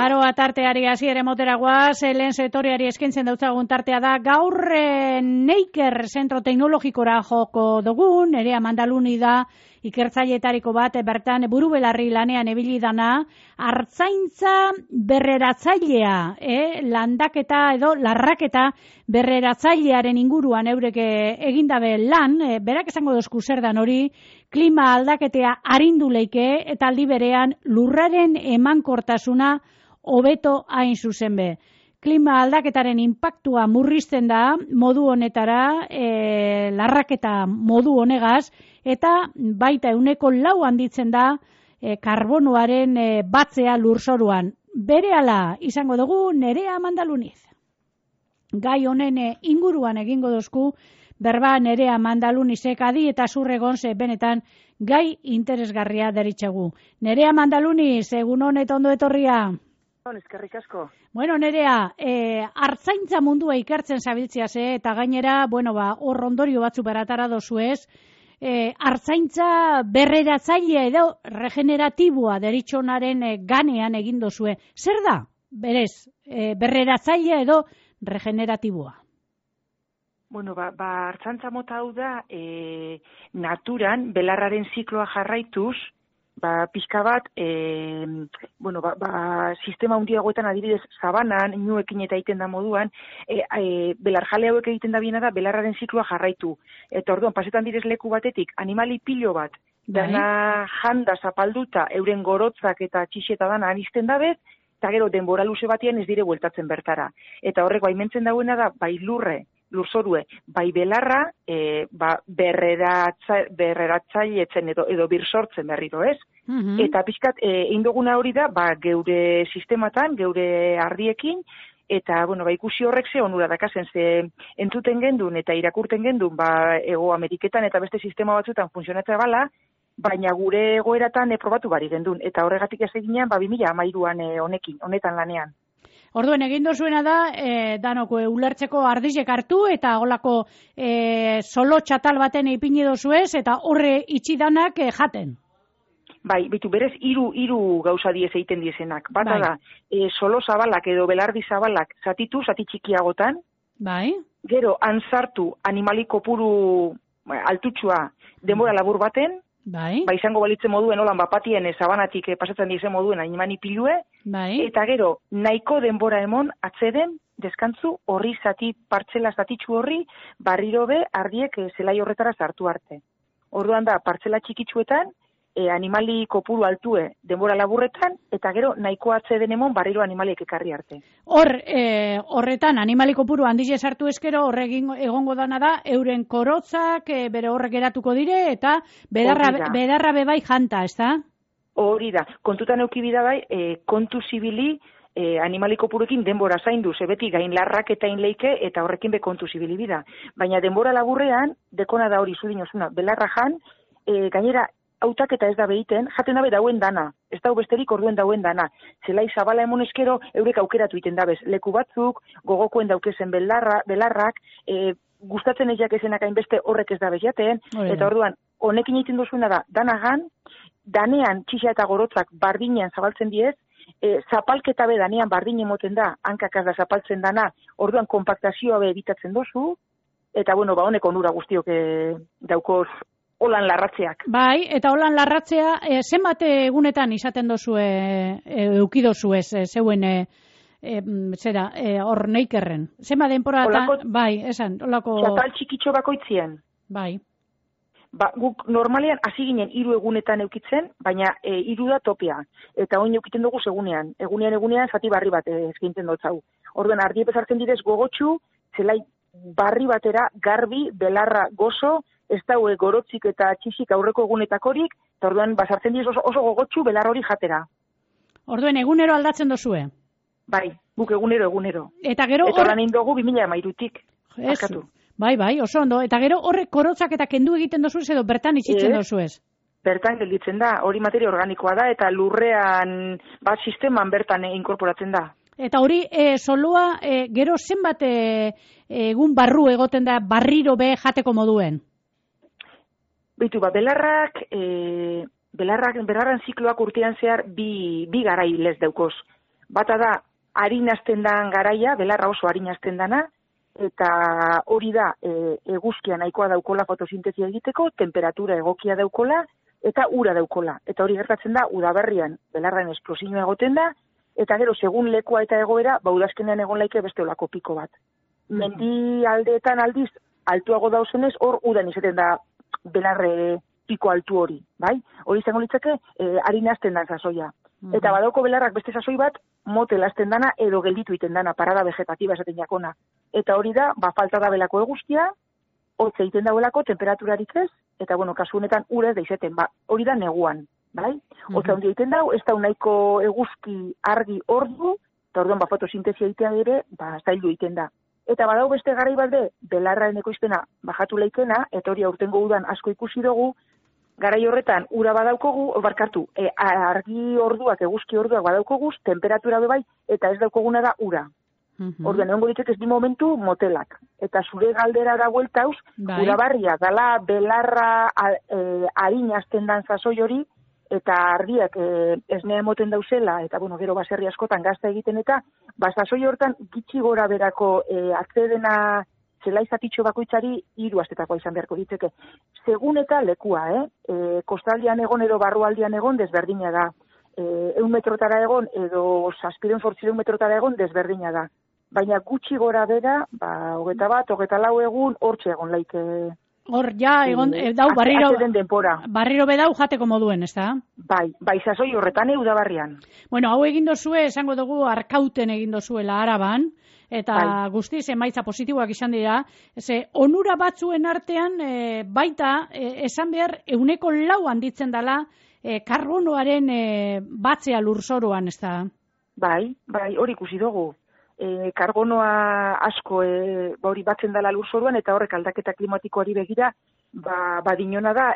Aroa tarteari hasiera motera guaz, lehen sektoreari eskaintzen dautzagun tartea da, gaur Neiker zentro teknologikora joko dugun, Nerea Mandaluni da, ikertzaileetariko bat, bertan buru belarri lanean ebili dana, artzaintza berreratzailea, landaketa edo larraketa berreratzailearen inguruan eurek egindabe lan, berak esango dozku zer dan hori, klima aldaketea arindu leike eta aldi berean lurraren emankortasuna hobeto hain zuzen be. Klima aldaketaren inpaktua murrizten da modu honetara, larraketa modu honegaz, eta baita 4% handitzen da karbonoaren batzea lurzoruan. Berehala izango dugu Nerea Mandaluniz. Gai honen inguruan egingo dozku, berba Nerea Mandalunizek adi eta zurregon ze benetan gai interesgarria deritxegu. Nerea Mandaluniz, egun honet ondo etorria. Eskerrik asko. Bueno, Nerea, artzaintza mundua ikertzen zabiltzia eta gainera, hor ondorio batzu beratara dozu ez, artzaintza berreratzailea edo regeneratiboa deritxonaren ganean egin dozue. Zer da, berez, berreratzailea edo regeneratiboa? Bueno, artzaintza mota hau da, naturan, belarraren zikloa jarraituz, pixka bat, sistema hundiagoetan adibidez sabanan, inuekin eta egiten da moduan, belarjale hauek egiten da biena da, belarraren zikloa jarraitu. Eta orduan, pasetan direz leku batetik, animali pilo bat, dana janda zapalduta, euren gorotzak eta txixeta dana anizten dabez, eta gero denbora luze batian ez dire bueltatzen bertara. Eta horrek baimentzen dauena da, bai lurzorue, bai belarra, berreratzailetzen edo birsortzen berriro, ez? Eta pixkat, indoguna hori da, geure sistematan, geure ardiekin, eta, ikusi horrek ze onura dakazen, ze entzuten gendun eta irakurten gendun, Ego Ameriketan eta beste sistema batzutan funtzionatzea bala, baina gure egoeratan probatu bari gendun, eta horregatik ez eginean, 2013an honetan lanean. Orduen egin dozuena da, danoko ulertzeko ardizek hartu eta holako solo txatal baten ipini dozuez eta horre itxidanak jaten. Bai, berez hiru gauza diez egiten diezenak. Bata da, solo zabalak edo belardi zabalak zati txikiagotan. Bai. Gero, antzartu animali kopuru altutxua denbora labur baten. Bai. Izango balitzen moduen holan bapatien sabanatik pasatzen dizen moduen animani pilue. Bai. Eta gero, nahiko denbora emon atzeden, deskantzu horri partzela zatitxu horri, barriro be ardiek zelai horretara sartu arte. Orduan da, partzela txikitsuetan, animali kopuru altue denbora laburretan, eta gero nahiko atzeden emon barriro animaliek ekarri arte. Horretan, animali kopuru handize sartu eskero, egongo dana da, euren korotzak bere horrek eratuko dire, eta bedarra bebai janta, ez da? Hori da, kontutan eukibida bai, kontu zibili animali kopurekin denbora zaindu, beti gain larrak eta inleike, eta horrekin be kontu zibili bida. Baina denbora laburrean, dekona da hori zudinosuna, belarra jan, gainera, hautak eta ez da behiten, jaten dabe dauen dana, ez dau besterik orduen dauen dana. Zelai zabala emon eskero, eurek aukeratu iten dabez. Leku batzuk, gogokoen daukezen belarrak, gustatzen egiak ezenak hainbeste horrek ez dabez jaten, eta orduan, honekin egiten dozuena da, danagan, danean txixa eta gorotzak bardinean zabaltzen diez, zapalketa be danean bardine moten da, hankakaz da zapaltzen dana, orduan konpaktazioa be ebitatzen dozu, eta honek onura guztiok daukoz holan larratzeak. Bai, eta holan larratzea, zenbat egunetan izaten dozue, eukidozu ez, zeuen, hor Neikerren. Zenbat denporatan, bai, esan, holako... Txatal txikitxo bakoitzien. Bai. Guk normalean hasi ginen 3 egunetan eukitzen, baina 3 da topea. Eta oin eukiten dugu segunean. Egunean zati barri bat eskaintzen dut zau. Orduan, ardiep ezartzen direz gogotxu, zelai barri batera, garbi, belarra, gozo, ez daue gorotzik eta txixik aurreko egunetakorik, eta orduan basartzen diz oso gogotxu belar hori jatera. Orduen egunero aldatzen dozue? Bai, guk egunero. Eta gero... Eta lan indogu 2013. Bai, oso ondo. Eta gero horrek korotzak eta kendu egiten dozuez edo bertan itxitzen dozuez? Bertan gelditzen da, hori materia organikoa da, eta lurrean sisteman bertan inkorporatzen da. Eta hori, solua, gero zenbat egun barru egoten da barriro be jateko moduen? Beitu, belarran zikloak urtean zehar bi garai lez daukoz. Bata da, harinazten dan garaia, belarra oso harinazten dana, eta hori da, eguzkia nahikoa daukola fotosintesia egiteko, temperatura egokia daukola, eta ura daukola. Eta hori gertatzen da, udaberrian, belarraen esplosinoa egoten da, eta gero, segun lekua eta egoera, udazkenean egon laike beste olako piko bat. Mendi aldeetan aldiz, altuago dauzenez, hor udan izaten da belarre piko altu hori, bai? Hori izango litzake, harinazten dan sasoia. Eta badauko belarrak beste sasoi bat, motel azten dana edo gelditu iten dana, parada vegetatiba esaten jakona. Eta hori da, falta da belako eguzkia, hotza egiten dauelako, temperaturarik ez, eta kasu honetan ura ez da izeten, hori da neguan, bai? Hotza handia egiten dau, ez da nahiko eguzki argi ordu, eta orduan fotosintesia egitea ere, zailu egiten da. Eta badau beste garai bat be, belarraen ekoizpena bajatu leikena, eta hori aurtengo udan asko ikusi dugu, garai horretan ura badaukogu, argi orduak, eguzki orduak badaukoguz, temperatura bebai, eta ez daukoguna da ura. Orduan, egongo ditzek ez di momentu motelak. Eta zure galdera da bueltauz, urabarria, dala belarra harinazten dan sasoi hori, eta argiak esnea emoten dauzela, eta gero baserri askotan gazta egiten eta, sasoi hortan gitxi gora berako atzedena zelaizatitxo bakoitzari 3 astetakoa izan beharko ditzeke. Segun eta lekua, kostaldian egon edo barrualdian egon desberdina da. 100 metrotara egon edo 700-800 metrotara egon desberdina da. Baina gutxi gora bera, 21-24 egun hortxe egon laike. Hor, ja, egon, dau, barriro bedau jateko moduen, ez da? Bai, sasoi horretan udabarrian. Bueno, hau egin dozue, esango dugu, Arkauten egin dozuela Araban, eta guztiz emaitza positiboak izan dira, onura batzuen artean, baita, esan behar, 4% handitzen dela, karbonoaren batzea lurzoruan, ez da? Bai, hori ikusi dugu. Karbonoa asko hori batzen dela lurzoruan eta horrek aldaketa klimatikoari begira dinona da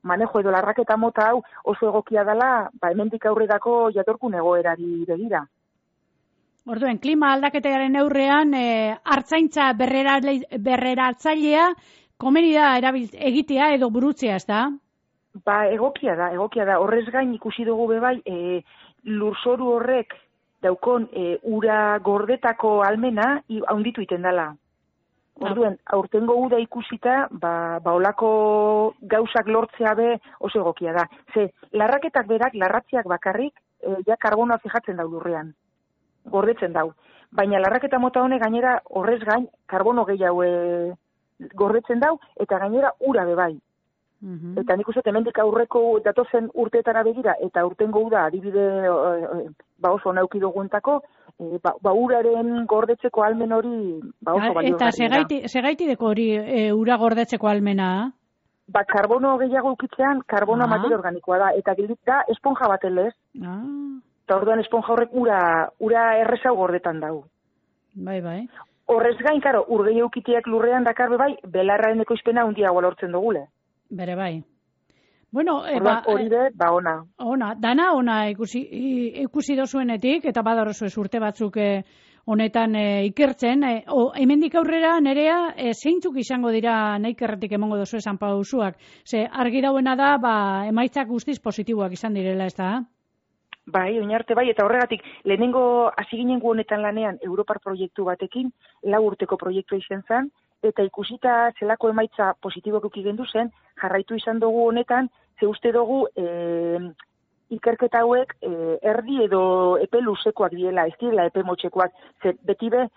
manejo edo larraketa mota hau oso egokia dela hemendik aurrerako jatorkun egoerari begira. Orduen, klima aldaketaren neurrean artzaintza berreratzailea komeni da egitea edo burutzea, ez da? Egokia da. Horrez gain ikusi dugu bebai lurzoru horrek daukon ura gordetako almena haunditu iten dela. Orduen, aurtengo uda ikusita, olako gauzak lortzea be oso egokia da. Larraketak berak, larratziak bakarrik, ja karbonoa fijatzen dau lurrean. Gordetzen dau. Baina larraketa mota honek gainera horrez gain, karbono gehiago gordetzen dau, eta gainera ura bebai. Eta nik uste hemendik aurreko datozen urteetara begira, eta urtengo uda adibide oso nauki duguentako, uraren gordetzeko almen hori oso balio. Eta segaitideko hori ura gordetzeko almena? Karbono gehiago ukitzean, karbono materia organikoa da, eta gildik da esponja baten lez. Eta orduan esponja horrek ura errezau gordetan dau. Bai. Horrez gain, ur gehiago ukiteak lurrean dakarbe bai, belarraen ekoizpena hundiago lortzen dugule. Bere bai. Bueno, hori ona. Dana ona ikusi dozuenetik, eta badarozue urte batzuk honetan ikertzen. Hemendik aurrera nerea zeintzuk izango dira naikerretik emongo dozu esan pausuak. Argi dauena da, emaitzak guztiz positiboak izan direla, ez da? Bai, oinarte bai, eta horregatik, lehenengo hasi ginen gu honetan lanean Europar proiektu batekin, 4 urteko proiektua izan zen, eta ikusita zelako emaitza positibok uki gendu zen, jarraitu izan dugu honetan, ze uste dugu ikerketa hauek erdi edo epe luzekoak diela, ez direla epe motxekoak, ze beti be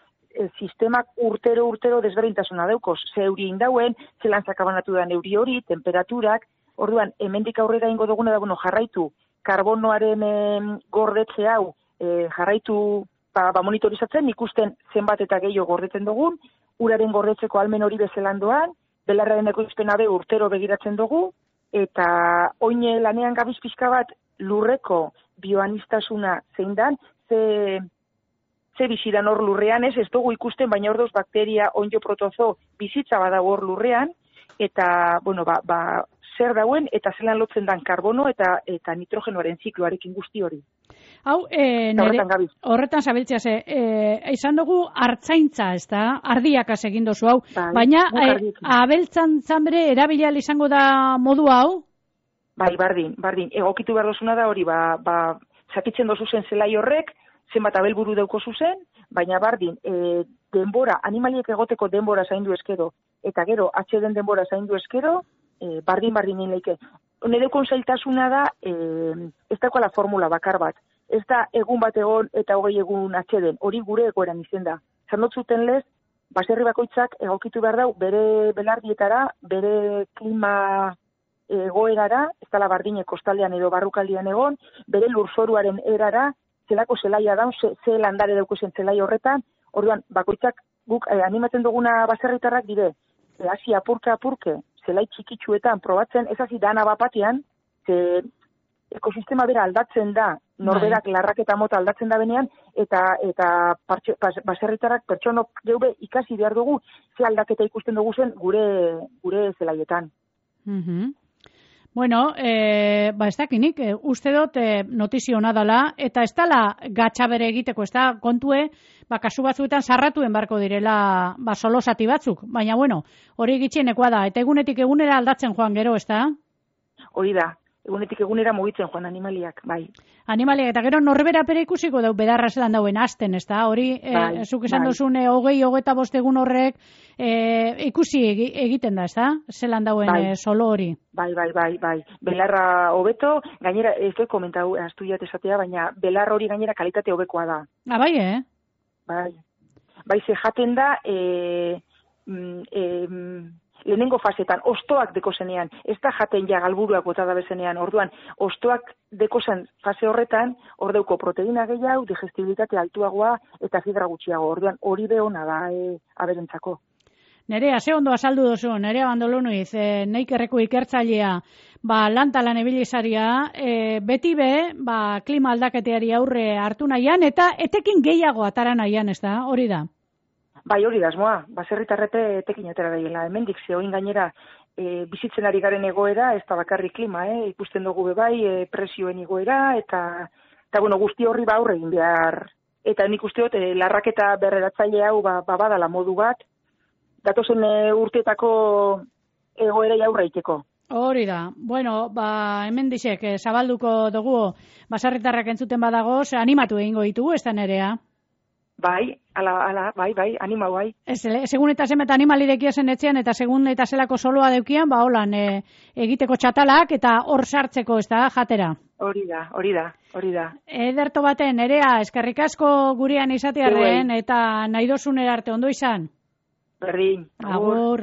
sistemak urtero desberdintasuna daukoz, ze euri indauen, zelan zakabanatu da euri hori, temperaturak, orduan, hemendik aurrera ingo duguna da, jarraitu, karbonoaren gordetze hau, jarraitu monitorizatzen, ikusten zenbat eta gehiago gordetzen dugun, uraren gordetzeko almen hori bezelan doan, belarraren ekoizpena be urtero begiratzen dugu, eta oine lanean gabiz pixka bat lurreko bioanistasuna zein dan, ze bizidan hor lurrean ez dugu ikusten, baina ordoz bakteria, onjo protozo bizitza badago hor lurrean, eta, zer dauen, eta zelan lotzen dan karbono eta nitrogenoaren zikloarekin guzti hori. Hau, horretan zabiltzea izan dugu artzaintza, ez da? Ardiakaz egin dozu hau. Baina, abeltzantzan bere erabilial izango da modu hau? Bai, bardin. Egokitu behar dozuna da hori, zakitzen dozu zen zelai horrek, zenbat abelburu dauko zuzen, baina bardin, denbora, animaliek egoteko denbora zaindu eskero, eta gero, atxeden denbora zaindu eskero, bardin leike. Nire konzailtasuna da, ez dakoala formula bakar bat. Ez da egun bat egon eta 20 egun atxeden, hori gure egoeran izen da. Zernotzuten lez, baserri bakoitzak egokitu behar dau, bere belardietara, bere klima egoerara, ez dala bardine kostaldean edo barrukaldian egon, bere lurzoruaren erara, zelako zelaia daun, ze landare daukuzen zelai horretan, orduan, bakoitzak guk animatzen duguna baserritarrak dire, hasi apurke, zelai txikitsuetan probatzen, ez hasi dana bapatean, ze ekosistema bera aldatzen da, norberak larraketa mota aldatzen da benean, eta baserritarrak pertsonok geube ikasi behar dugu, ze aldaketa ikusten dugu zen gure zelaietan. Bueno, ez dakinik, uste dut notizio hona dela, eta ez dela gatxa bere egiteko, ez da kontue, kasu batzuetan sarratuen barko direla solosati batzuk, baina bueno, hori gitxienekoa da, eta egunetik egunera aldatzen joan gero, ez da? Hori da, egunetik egunera mugitzen joan animaliak, bai. Animaliak, eta gero norbera pere ikusiko dau bedarra zelan dauen azten, ez da? Hori, zuk esan duzun, 20-25 egun horrek ikusi egiten da, ez da? Zelan dauen solo hori. Bai. Belarra hobeto, gainera, ez dut komentau, astuiat esatea, baina belarra hori gainera kalitate hobekoa da. Bai, Bai, ze jaten da, lehenengo fasetan, ostoak deko zenean, ez da jaten ja galburuak bota da bezenean, orduan, ostoak deko zen fase horretan, ordeuko proteina gehiago, digestibilitate altuagoa eta fibra gutxiago, orduan, hori behona da aberentzako. Nerea, ze ondo azaldu duzu, Nerea Bandolonuiz, Neikerreko ikertzailea, lantalan ebilizaria, beti klima aldaketeari aurre hartu nahian, eta etekin gehiago atara nahian, ez da, hori da? Bai, hori da, asmoa, baserritarrepe etekin atera daiela, hemendik zehoin gainera bizitzen ari garen egoera, ez da bakarrik klima, ikusten dugu bebai, presioen igoera, eta bueno, guzti horri aurre egin behar. Eta nik usteot, larraketa berreratzaile hau badala modu bat, datozen urteetako egoera aurre egiteko. Hori da. Bueno, hemen dixek, zabalduko dugu baserritarrak entzuten badago, animatu egingo ditugu, ez da Nerea? Bai, bai, animau, bai. Segun eta zemet animalirekia zen etxean, eta segun eta zelako soloa deukian, holan, egiteko txatalak, eta hor sartzeko, ez da, jatera. Hori da. Ederto baten, Nerea, eskerrik asko gurean izatearren, eta nahi dozunera arte, ondo izan? Berdin. Agur.